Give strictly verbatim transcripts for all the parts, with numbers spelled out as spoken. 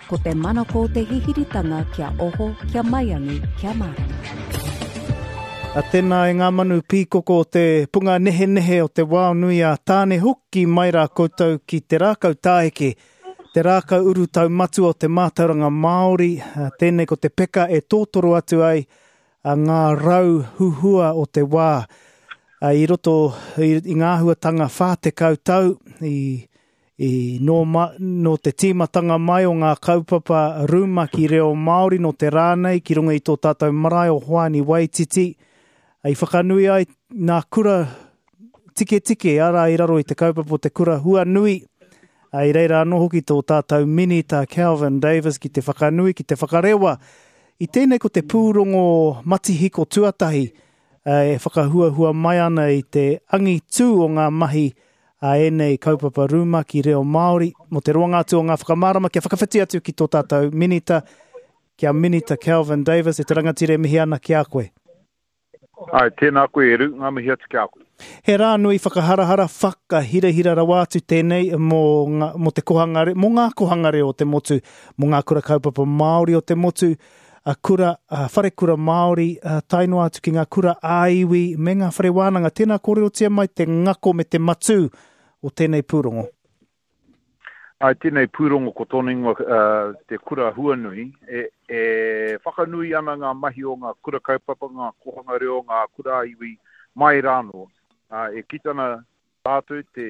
Ko te manako o te hihiritanga kia oho, kia maiangi, kia mārama. A tēnā e ngā manu pīkoko o te punga nehenehe o te wao nui a Tāne hoki mai rā koutou ki te rākau tāheke, te rākau urutau matua o te mātauranga Māori, tēnei ko te peka e tōtoro atu ai a ngā rau huhua o te wā. I roto i, i ngā āhuatanga whā tekau tau, i, i nō, ma, nō te tīmatanga mai o ngā kaupapa rumaki reo Māori nō te rā nei ki runga i tō tātou marae o Hoani Waititi, i whakanui ai nā kura tiketike, arā i raro i te kaupapa o te kura huanui, i reira anō hoki tō tātou minita Kelvin Davis ki te whakanui, ki te whakarewa. I tēnei ko te pūrongo matihiko tuatahi e whakahuahua mai ana i te angitū o ngā mahi a ēnei kaupapa rumaki reo Māori. Mō te roanga atu o ngā whakamārama kia whakawhiti atu ki tō tātou minita, kia Minita Kelvin Davis, e te rangatira e mihi ana ki a koe. Ai, tēnā koe e Ru, ngā mihi atu ki a koe. He rā nui whakaharahara, whakahirahira rawa atu tēnei mō ngā, mō te kohanga reo, mō ngā kohanga reo o te motu, mō ngā kura kaupapa Māori o te motu, a kura, a wharekura Māori, a tae noa atu ki ngā kura ā-iwi me ngā whare wānanga. Tēnā kōrerotia mai te ngako me te matū o tēnei pūrongo. Ai, tēnei pūrongo ko tōna ingoa, uh, te kura huanui, e, e whakanui ana ngā mahi o ngā kura kaupapa, ngā kohanga reo, ngā kura ā-iwi mai rānō. Uh, e kite ana tātou te,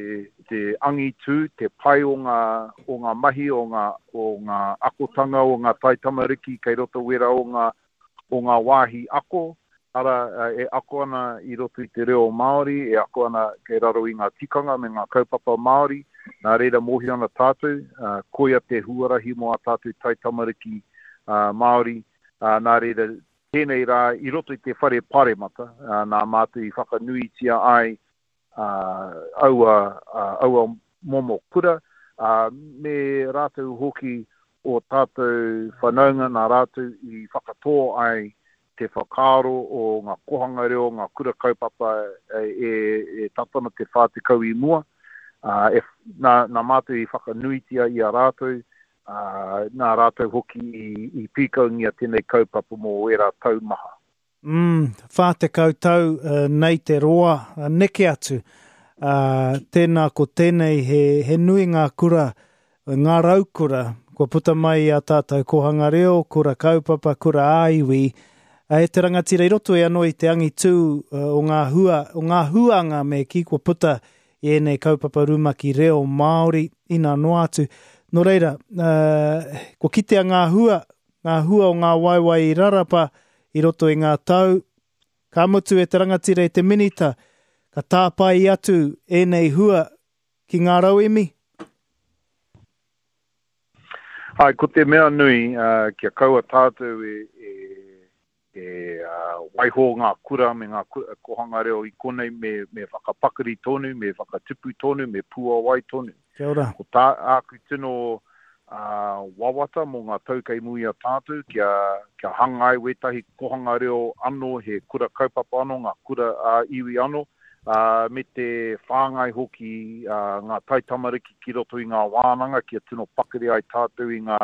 te angitū, te pai o ngā, o ngā mahi, o ngā, o ngā akotanga, o ngā taitamariki kei roto wera o ngā, o ngā wāhi ako, ara e ako ana i roto i te reo Māori, e ako ana kei raro i ngā tikanga me ngā kaupapa Māori, nā reira mōhio ana tātou, uh, koia te huarahi mō a tātou taitamariki uh, Māori, uh, nā reira tēnei rā i roto i te whare paremata, uh, nā mātou i whakanuitia ai uh, aua, uh, aua momo kura, uh, me rātou hoki o tātou whanaunga nā rātou i whakatō ai te whakaaro o ngā kohanga reo, ngā kura kaupapa e, e, e tatana te whā tekau i mua. Uh, e, nā, nā mātou i whakanuitia i a rātou, uh, nā rātou hoki i, i pīkaungia tēnei kaupapa mō ērā tau maha. Mm, whā tekau tau uh, nei te roa, uh, neke atu. Uh, tēnā ko tēnei he, he nui ngā kura, ngā raukura, kua puta mai i a tātou kohanga reo, kura kaupapa, kura ā-iwi. E te rangatira i roto e anō i te angitū uh, o ngā hua, o ngā huanga me ki kua puta i ēnei kaupapa rumaki reo Māori ina noa atu. Nō reira, uh, kua kitea ngā hua, ngā hua o ngā waewae i rarapa i roto i ngā tau, ka mutu e te rangatira i te minita, ka tāpae atu ēnei hua ki ngā rauemi? Ai, ko te mea nui, uh, kia kaua tātou e, e, e uh, waiho ngā kura me ngā kohanga reo i konei me, me whakapakari tonu, me whakatupu tonu, me puawai tonu. Kia ora. Ko tā āku tino uh, wawata mō ngā tau kei mua i a tātou, kia, kia hangai wētahi kohanga reo anō, he kura kaupapa anō, ngā kura ā-iwi anō, uh, me te whāngai hoki uh, ngā taitamariki ki roto i ngā wānanga, kia tino pakari ai tātou i ngā,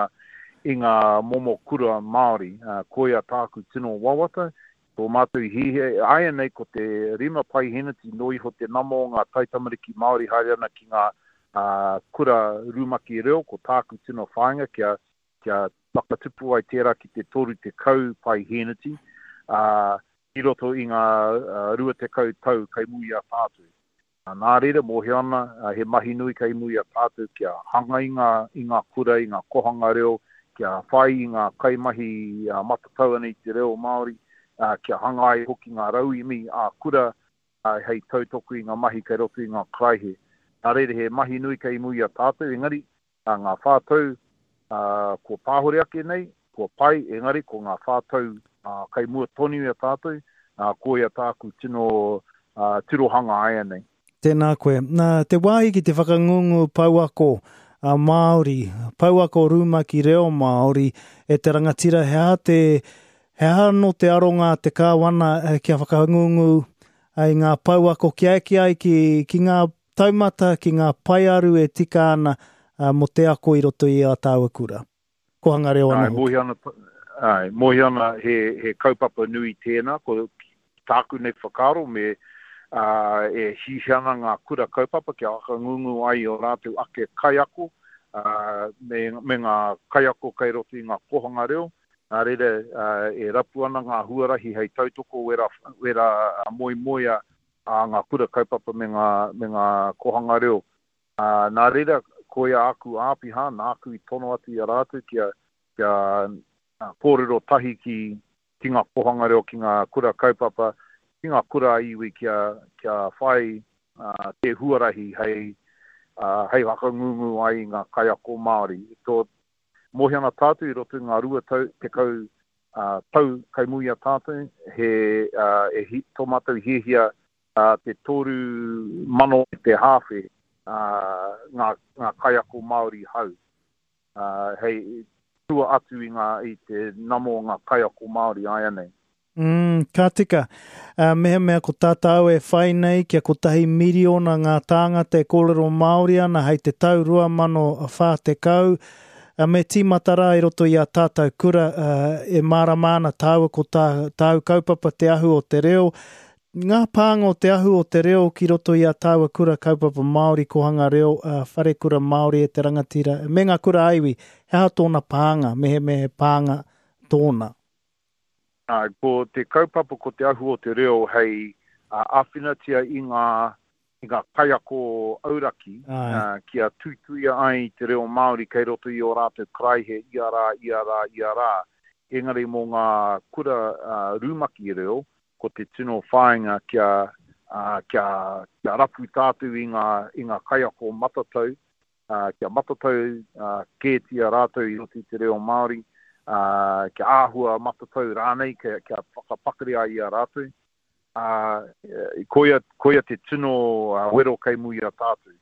i ngā momo kura Māori. Uh, koia tāku tino wawata, tō mātou hihe, aia nei ko te rima paiheneti no iho te nama o ngā taitamariki Māori haere ana ki ngā uh, kura rumaki reo, ko tāku tino whāinga kia, kia whakatupu ai tērā ki te toru tekau paiheneti, uh, i roto i ngā uh, rua tekau tau kei mua i a tātou. Uh, nā reira, mōhio ana, uh, he mahi nui kei mua i a tātou kia hanga i ngā, i ngā kura, i ngā kohanga reo, kia whai i ngā kaimahi uh, matatau ana i te reo Māori, uh, kia hanga ai hoki ngā rauemi ā kura uh, hei tautoko i ngā mahi kei roto i ngā karaihe. Nā reira, he mahi nui kei mua i a tātou, engari, uh, ngā whātau uh, kua pāhore ake nei, kua pai, engari ko ngā whātau uh, kei mua tonu i a tātou, uh, koia tāku tino uh, tirohanga aia nei. Tēnā koe. Nā, te wāhi ki te whakangungu pouako a Māori, pouako rumaki reo Māori, e te rangatira, he aha te, he aha no te aronga te kāwana kia whakangungu i ngā pouako kia eke ai ki, ki ngā taumata, ki ngā paearu e tika ana uh, mō te ako i roto i a tāua kura. kohanga reo anō. Ai, mohi ana, ai, mohi ana he, he kaupapa nui tēnā, ko tāku nei whakaaro me uh, e hihi ana ngā kura kaupapa kia whakangungu ai o rātou ake kaiako, uh, me, me ngā kaiako kai roto i ngā kohanga reo. Nā reira, uh, e rapu ana ngā huarahi hei tautoko wera, wera moemoea a ngā kura kaupapa me ngā, me ngā kohanga reo. Uh, nā reira, koia aku āpiha, nāku i tono atu i a rātou kia, kia kōrero tahi ki, ki ngā kohanga reo, ki ngā kura kaupapa, ki ngā kura iwi kia, kia whai uh, te huarahi hei, uh, hei whakangungu ai i ngā kaiako Māori. Tō, mohi ana tātou i roto i ngā rua tau, tekau uh, tau kai mui a tātou, he, uh, e hi, tō mātou hiahia uh, te toru mano te hāwhe uh, ngā, ngā kaiako Māori hau. Uh, hei tua atu i, ngā, i te namo o ngā kaiako Māori āianei. Mm, ka tika. Uh, mehemea ko tātou e whai nei kia kotahi miriona ngā tāngata e kōrero Māori ana hei te tau rua mano whā tekau, uh, me tīmata rā i roto i a tātou kura uh, e mārama ana tāua ko tā, tāu kaupapa te ahu o te reo. Ngā pānga o te ahu o te reo ki roto i a tāua kura kaupapa Māori, kohanga reo, uh, wharekura Māori e te rangatira, me ngā kura aiwi, he aha tōna pānga, mehemea he pānga tōna? Uh, ko te kaupapa ko te ahu o te reo hei uh, āwhinatia i ngā, i ngā kaiako auraki uh, kia tuituia ai te reo Māori kei roto i o rātou karaihe ia rā, ia rā, ia rā. Engari mō ngā kura uh, rumaki reo, ko te tino whāinga kia, uh, kia, kia rapu tātou i ngā, i ngā kaiako matatau, uh, kia matatau uh, kētia rātou i roto i te reo Māori, Uh, kia āhua matatau rānei, kia, kia whakapakari ai i a rātou. Uh, koia, koia te tino uh, wero kei mui a tātou.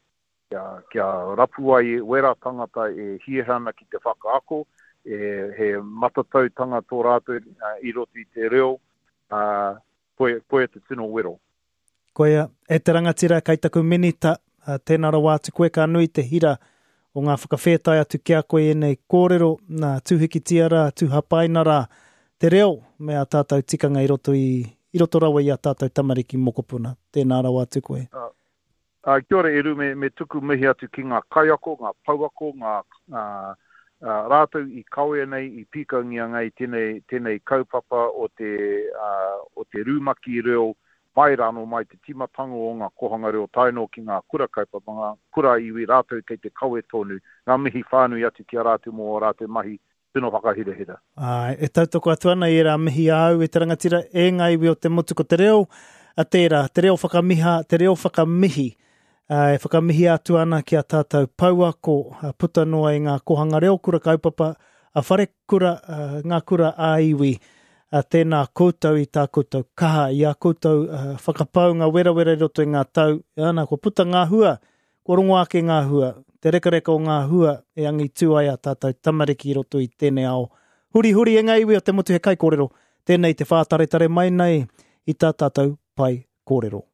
Kia, kia rapu ai wera tangata e hiahia ana ki te whakaako, e, he matatautanga tō rātou uh, i roto i te reo, uh, koia, koia te tino wero. Koia, e te rangatira kai taku minita, uh, tēnā rawa atu koe ka nui te hira o ngā whakawhētai atu ki a koe ēnei kōrero, nā tūhikitia rā, tūhapaina rā, te reo me a tātou tikanga i roto, i, i roto rawa i a tātou tamariki mokopuna. Tēnā rawa atu koe. Uh, uh, kia ora Eru, me, me tuku mihi atu ki ngā kaiako, ngā pouako, ngā uh, uh, rātou i kawea nei, i pīkaungia nei tēnei, tēnei kaupapa o te, uh, o te rumaki reo mai rāno mai te tīmatanga o ngā kohanga reo tae noa ki ngā kura kaupapa, ngā kura iwi rātou kei te kawe tonu, ngā mihi whānui atu ki a rātou mō o rātou mahi tino whakahirahira. Ai, e tautoko atu ana i ērā mihi āu e te rangatira e ngā iwi o te motu ko te reo, a tērā, te reo whakamiha, te reo whakamihi, e whakamihi atu ana ki a tātou pouako, puta noa i ngā kohanga reo kura kaupapa, a wharekura, ngā kura ā-iwi. Tēnā koutou i tā koutou kaha, i a koutou uh, whakapaunga werawera i roto i ngā tau. Ana, kua puta ngā hua, kua rongo ake ngā hua, te rekareka o ngā hua e angitū ai a tātou tamariki i roto i tēnei ao. Huri huri e ngā iwi o te motu he kaikōrero, tēnei te whātaretare mai nei i tā tātou pai kōrero.